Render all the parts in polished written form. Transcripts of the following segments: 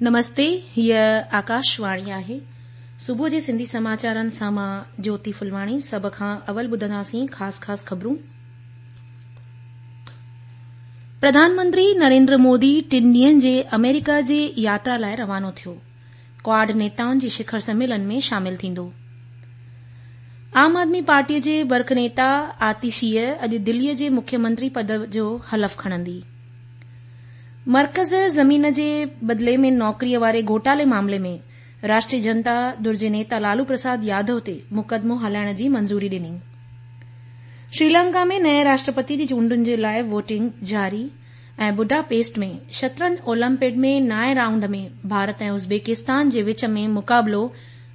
نمستي هيء آڪاشواڻي آهي. صبح جي سنڌي سماچارن سان مان جوتي ڦلواڻي سڀ کان اول ٻڌنداسين خاص خاص خبرون. پرڌان منتري نريندر مودي ٽن ڏينهن جي آمريڪا جي ياترا لاء روانو ٿيو. ڪواڊ نيتائن جي شکر سميلن ۾ شامل ٿيندو. عام آدمي پارٽيء جي برک نيتا آتشيء اڄ دليء جي مکيه منتري پد جو حلف کڻندي. مرڪز زمين جي بدلي ۾ نوڪريء واري گهوٽالي معاملي ۾ راشٽريه جنتا ڌر جي نيتا لالو پرساد يادو تي مقدمو هلائڻ جي منظوري ڏني. شريلنڪا ۾ نئين راشٽرپتي جي چونڊن جي لاء ووٽنگ جاري ۽ بوڊاپيسٽ ۾ شطرنج اولمپڊ ۾ نائين رائونڊ ۾ ڀارت ۽ ازبيڪستان جي وچ ۾ مقابلو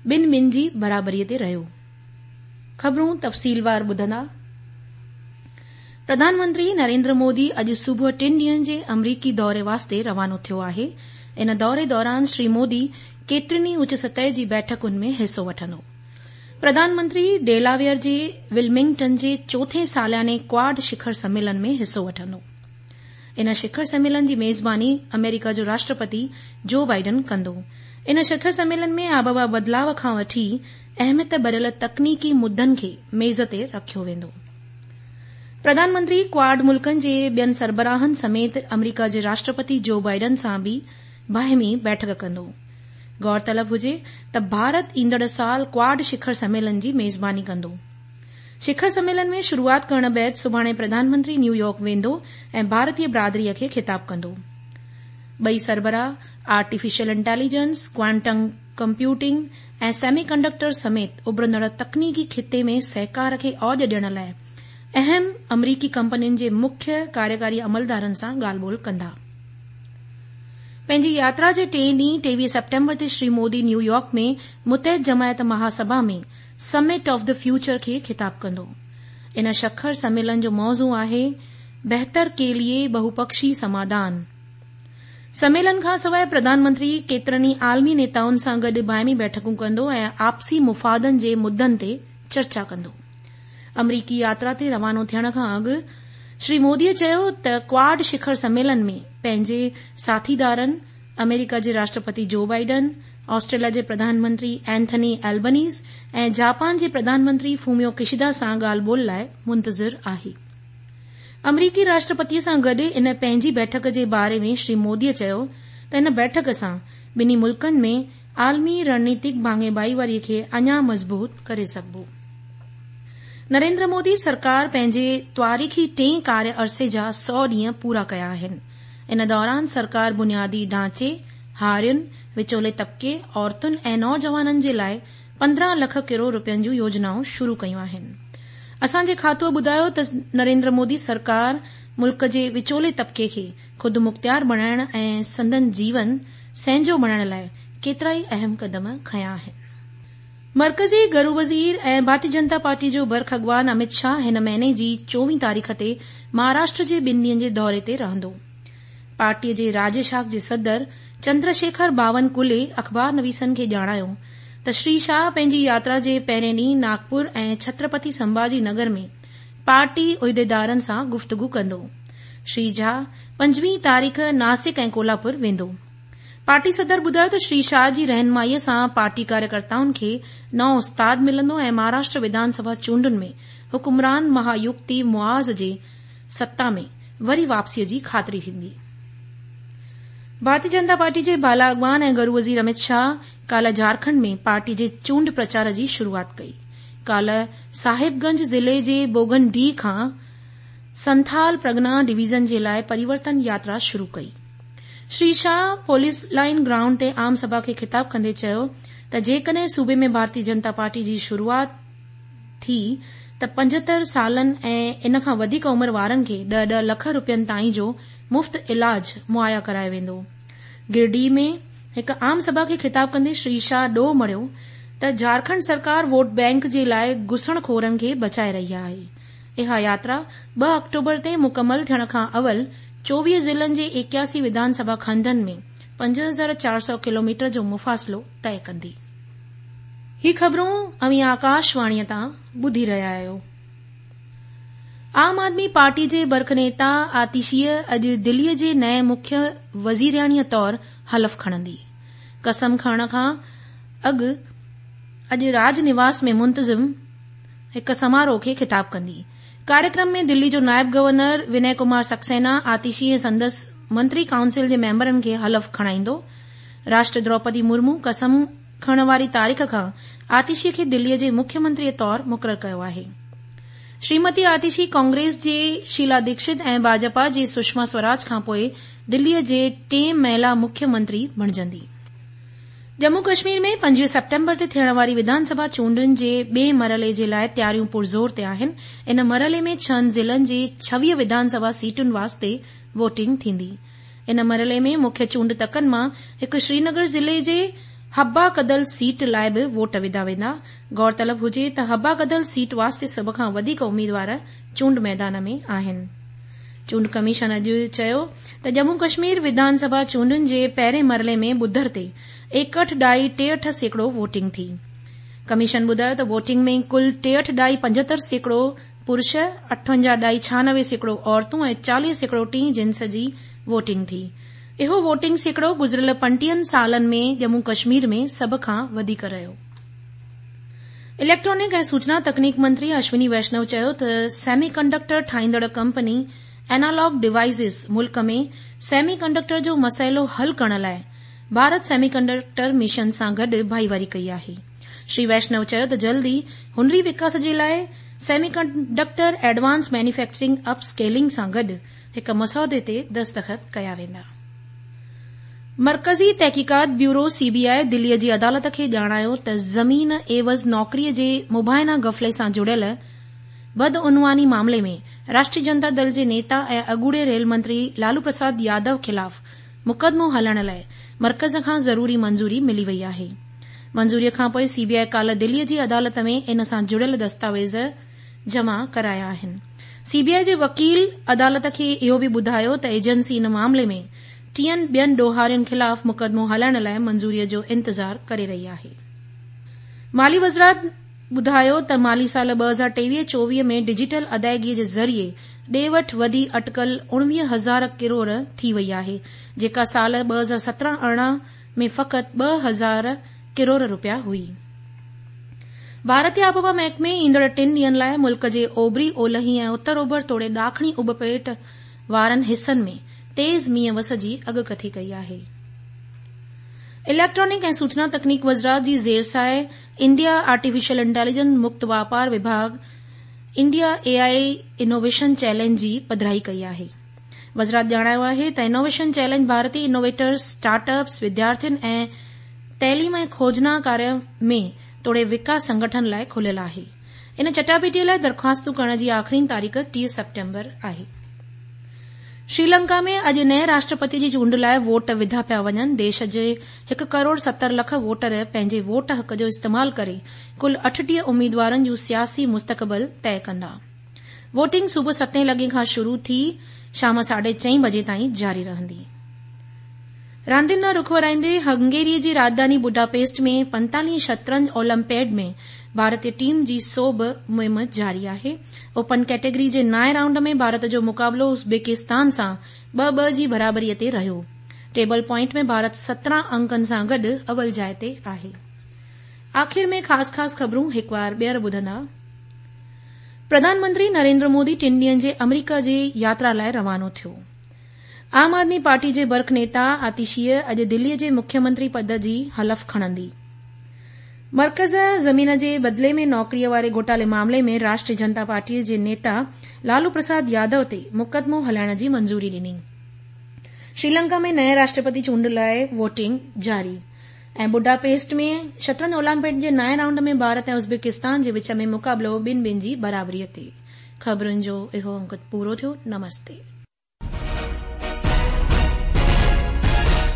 ٻن ٻن جي برابري تي رهيو. خبرون تفصيلوار ٻڌندا. پرڌان منتري نريندر مودي اڄ صبح ٽن ڏينهن جي آمريڪي دوري واسطي روانو ٿيو آهي. ان دوري دوران شري مودي ڪيترين ئي اچ سطح جي بيٺڪن ۾ حصو وٺندو. پرڌان منتري ڊيلاويئر جي ولمنگٽن جي چوٿين سالياني ڪواڊ شکر سميلن ۾ حصو وٺندو. ان شکر سميلن جي ميزباني آمريڪا جو راشٽرپتي جو بائيڊن ڪندو. ان شکر سميلن ۾ آبهوا بدلاء کان وٺي اهميت ڀريل تڪنيڪي مدن کي ميز تي رکيو ويندو. پرڌان منتري ڪواڊ ملڪن جي ٻين سربراهن سميت آمريڪا جي راشٽرپتي جو بائيڊن سان به باهمي بيٺڪ ڪندو. غور طلب هجي ته ڀارت ايندڙ سال ڪواڊ شکر سميلن جي ميزباني ڪندو. شکر سميلن ۾ شروعات ڪرڻ بعد سڀاڻي پرڌان منتري نيويارڪ ويندو ۽ ڀارتي برادري کي خطاب ڪندو. ٻئي سربراهه artificial intelligence, quantum computing ۽ semi conductor سميت اڀرندڙ تڪنيڪي خطي ۾ سهڪار کي اوڄ ڏيڻ لاء اهم آمريڪي ڪمپنين جي مکيه ڪاريڪاري عملدارن سان ڳالهه ٻولهه ڪندا. پنهنجي ياترا جي ٽئين ڏينهن 23 سيپٽمبر تي شري مودي نيويارڪ ۾ متحد جماعت Mahasabha ۾ summit of the future کي خطاب ڪندو. ان شکر سميلن جو موضوع آهي بهتر ڪي ليي بهوپڪشي سماڌان. سميلن کانسواء پرڌان منتري ڪيترن ئي عالمي نيتائن سان گڏ باهمي بيٺڪون ڪندو ۽ آپسي مفادن جي مدن تي چرچا ڪندو. آمريڪي ياترا تي روانو ٿيڻ کان اڳ شري مودي چيو ته ڪواڊ شکر سميلن ۾ پنهنجي ساٿيدارن آمريڪا جي راشٽرپتي جو بائيڊن، آسٽريليا جي پرڌان منتري اينٿني البنيز ۽ جاپان جي پرڌان منتري فوميو ڪشيدا سان ڳالهه ٻولهه لاء منتظر آهي. آمريڪي راشٽرپتي سان گڏ ان پنهنجي بيٺڪ جي باري ۾ شري مودي چيو ته ان بيٺڪ سان ٻنهي ملڪن ۾ عالمي رڻنيتڪ ڀاڱي ڀائيواري کي اڃا مضبوط ڪري سگهبو. نريندر مودي سرڪار پنهنجي تواريخي ٽئين ڪاريه عرصي جا سئو ڏينهن پورا ڪيا آهن. ان دوران سرڪار بنيادي ڍانچي، هارين، وچولي طبقي، عورتن ۽ نوجوانن جي لاء 15 لک ڪروڙ رپين جون يوجنائون شروع ڪيون آهن. اسان جي کاتوء ٻڌايو ته نريندر مودي سرڪار ملڪ جي وچولي طبقي کي خودمختيار بڻائڻ ۽ سندن جيون سهنجو بڻائڻ لاء ڪيترائي اهم قدم کنيا آهن. مرڪزي گهرو وزير ۽ ڀارتي جنتا پارٽي جو برک اڳواڻ امت شاهه هن مهيني جي 24 تاريخ تي مهاراشٽر جي ٻن ڏينهن جي دوري تي رهندو. پارٽي جي راجيه شاخ جي صدر چندر شيکر باون ڪلي اخبار نويسن کي ڄاڻايو ته شري شاهه پنهنجي ياترا جي پهرين ڏينهن ناگپور ۽ ڇترپتي سنڀاجي نگر ۾ پارٽي عهديدارن سان گفتگو ڪندو. شري شاهه 25 تاريخ ناسڪ ۽ ڪولاپور ويندو. پارٽي صدر ٻڌايو ته شري شاهه جي رهنمائي سان پارٽي ڪاريڪرتائن کي نئون استاد ملندو ۽ مهاراشٽر وڌان سڀا چونڊن ۾ حڪمران مهايوڪتي محاذ جي ستا ۾ وري واپسيء جي خاطري ٿيندي. ڀارتي جنتا پارٽي جي بالا اڳواڻ ۽ گهرو وزير امت شاهه ڪالهه جهارکنڊ ۾ پارٽي جي چونڊ پرچار جي شروعات ڪئي. ڪالهه صاحب گنج ضلعي جي بوگنڊيهه کان سنٿال پرگنا ڊويزن جي لاء پريورتن ياترا شروع ڪئي. Shri Shah police line ground تي عام سڀا کي خطاب ڪندي چيو ته جيڪڏهن صوبي ۾ ڀارتي جنتا پارٽي جي شروعات ٿي ته 75 سالن ۽ ان کان وڌيڪ عمر وارن کي ڏهه ڏهه لک رپين تائين جو مفت علاج مهيا ڪرايو ويندو. گرڊيهه ۾ هڪ عام سڀا کي خطاب ڪندي شري شاهه ڏوهه مڙهيو ته جهارکنڊ سرڪار ووٽ بئنڪ جي لاء گسڻ خورن کي بچائي رهي آهي. اها ياترا 2 آڪٽوبر تي مڪمل ٿيڻ کان اول 24 ضلعن جي 81 وڌان سڀا کنڊن ۾ 5400 ڪلوميٽر جو مفاصلو طئي ڪندي. هي خبرون اوهين آڪاشواڻيء تان ٻڌي رهيا آهيو. عام آدمي پارٽي جي برک نيتا آتشيء اڄ دليء جي نئين مکيه وزيرياڻيء طور حلف کڻندي. قسم کڻڻ کان اڳ اڄ راج نواس ۾ منتظم هڪ سماروهه کي خطاب ڪندي. ڪاريڪرم ۾ دلي جو نائب گورنر ونئي ڪمار سڪسينا آتشي ۽ سندس منتري ڪائونسل جي ميمبرن کي حلف کڻائيندو. راشٽر دروپدي مرمو قسم کڻڻ واري تاريخ کان آتشي کي دلي جي مکيه منتري طور مقرر ڪيو آهي. شريمتي آتشي ڪانگريس جي شيلا ديڪشت ۽ ڀاجپا جي سشما سوراج کانپوء دلي جي ٽئين مهلا مکيه منتري بڻجندي. ڄمون ڪشمير ۾ 25 سيپٽمبر تي ٿيڻ واري وڌان سڀا چونڊن جي ٻئي مرحلي جي لاء تياريون پرزور تي آهن. ان مرحلي ۾ ڇهن ضلعن جي 26 وڌان سڀا سيٽن واسطي ووٽنگ ٿيندي. ان مرحلي ۾ مکيه چونڊ تڪن مان هڪ سرينگر ضلعي جي حبا ڪدل سيٽ لاء به ووٽ وڌا ويندا. غور طلب هجي ته حبا ڪدل سيٽ واسطي سڀ کان وڌيڪ اميدوار چونڊ ميدان ۾ آهن. چونڊ ڪميشن اڄ چيو ته ڄمون ڪشمير وڌان سڀا چونڊن جي پهرين مرحلي ۾ ٻڌر تي ايڪهٺ ڏهائي ٽيهٺ سيڪڙو ووٽنگ ٿي. ڪميشن ٻڌايو ته ووٽنگ ۾ ڪل ٽيهٺ ڏهائي 75% پرش، اٺونجاهه ڏهائي 96% عورتون ۽ 40% ٽين جنس جي ووٽنگ ٿي. اهو ووٽنگ سيڪڙو گذريل 35 سالن ۾ ڄمون ڪشمير ۾ سڀ کان وڌيڪ رهيو. اليڪٽرانڪ ۽ سوچنا تڪنيڪ منتري اشوني ويشنو چيو ته سيمي ڪنڊڪٽر ٺاهيندڙ ڪمپني اينالاگ ڊوائيسز ملڪ ۾ سيمي ڪنڊڪٽر جو مسئلو حل ڪرڻ لاء ڀارت سيمي ڪنڊڪٽر مشن سان گڏ ڀائيواري ڪئي آهي. شري ويشنو چيو ته جلد ئي هنري وڪاس جي لاء semi conductor advance manufacturing up scaling سان گڏ هڪ مسودي تي دستخط ڪيا ويندا. مرڪزي تحقيقات بيورو، سي بي آء، دلي جي عدالت کي ڄاڻايو ته زمين عيوض نوڪري جي مبينا غفلي سان جڙيل بدعنواني معاملي ۾ راشٽري جنتا دل جي نيتا ۽ اڳوڻي ريل منتري لالو پرساد يادو خلاف مقدمو هلائڻ لاء مرڪز کان ضروري منظوري ملي وئي آهي. منظوري کانپوء سي بي آء ڪالهه دلي جي عدالت ۾ ان سان جڙيل دستاويز جمع ڪرايا آهن. سي بي آء جي وڪيل عدالت کي اهو به ٻڌايو ته ايجنسي ان معاملي ۾ ٽين ٻين ڏوهارين خلاف مقدمو هلائڻ لاء منظوري جو انتظار ڪري رهي آهي. مالي وزارت ٻڌايو ته مالي سال 2023 24 ۾ ڊجيٽل ادائيگي جي ذريعي ڏي وٺ وڌي اٽڪل 19 هزار ڪروڙ ٿي وئي آهي جيڪا سال 2017 18 ۾ فقط 2 هزار ڪروڙ رپيا هئي. ڀارتي آبهوا محڪمي ايندڙ ٽن ڏينهن لاء ملڪ جي اوڀري، اولهي ۽ اتر اوڀر توڙي ڏاکڻي اڀ پيٽ وارن حصن ۾ تيز مينهن وس جي اڳڪٿي ڪئي آهي. اليڪٽرانڪ ۽ سوچنا تڪنيڪ وزارت جي زيرسايه انڊيا آرٽيفيشل انٽيليجنس مڪت واپار وڀاڳ انڊيا اي آء انوويشن چئلينج جي پڌرائي ڪئي آهي. وزارت ڄاڻايو آهي ته انوويشن چئلينج ڀارتي انوويٽرز، اسٽارٽ اپس، وديارٿين ۽ تعليم ۽ کوجنا ڪاريه ۾ توڙي وڪاس سنگٺن لاء کليل آهي. ان چٽاڀيٽي لاء درخواستون ڪرڻ جي آخرين تاريخ 30 سيپٽمبر آهي. شريلنڪا ۾ اڄ نئين راشٽرپتي جي چونڊ لاء ووٽ وڌا پيا وڃن. ديش جي هڪ ڪروڙ 70 لک ووٽر پنهنجي ووٽ حق جو استعمال ڪري ڪل 38 اميدوارن جون سياسي مستقبل طئي ڪندا. ووٽنگ صبح ستين لڳي کان شروع ٿي شام ساڍي چئين بجي تائين جاري رهندي. راندين ڏانهن رخ ورائيندي هنگيري جي راڄڌاني بوڊاپيسٽ ۾ 45 شطرنج اولمپيڊ ۾ ڀارتي ٽيم جي سوڀ مهم جاري آهي. اوپن ڪيٽيگري جي نائين رائونڊ ۾ ڀارت جو مقابلو ازبڪستان سان 2-2 جي برابري تي رهيو. ٽيبل پوائنٽ ۾ ڀارت 17 انڪن سان گڏ اول جاء تي آهي. آخر ۾ خاص خاص خبرون هڪ وار ٻيهر ٻڌندا. پرڌان منتري نريندر مودي ٽن ڏينهن جي آمريڪا جي ياترا لاء روانو ٿيو. عام آدمي پارٽي جي برک نيتا آتشيء اڄ دلي جي مکيه منتري پد جي حلف کڻندي. مرڪز زمين جي بدلي ۾ نوڪري واري گهوٽالي معاملي ۾ راشٽري جنتا پارٽي جي نيتا لالو پرساد يادو تي مقدمو هلائڻ جي منظوري ڏني. شريلنڪا ۾ نئين راشٽرپتي چونڊ لاء ووٽنگ جاري. ۽ بوڊاپيسٽ ۾ شطرنج اولمپيڊ جي نائين رائونڊ ۾ ڀارت ۽ ازبڪستان جي وچ ۾ مقابلو ٻن ٻن جي برابري تي. خبرن جو اهو انڪ پورو ٿيو. نمستي.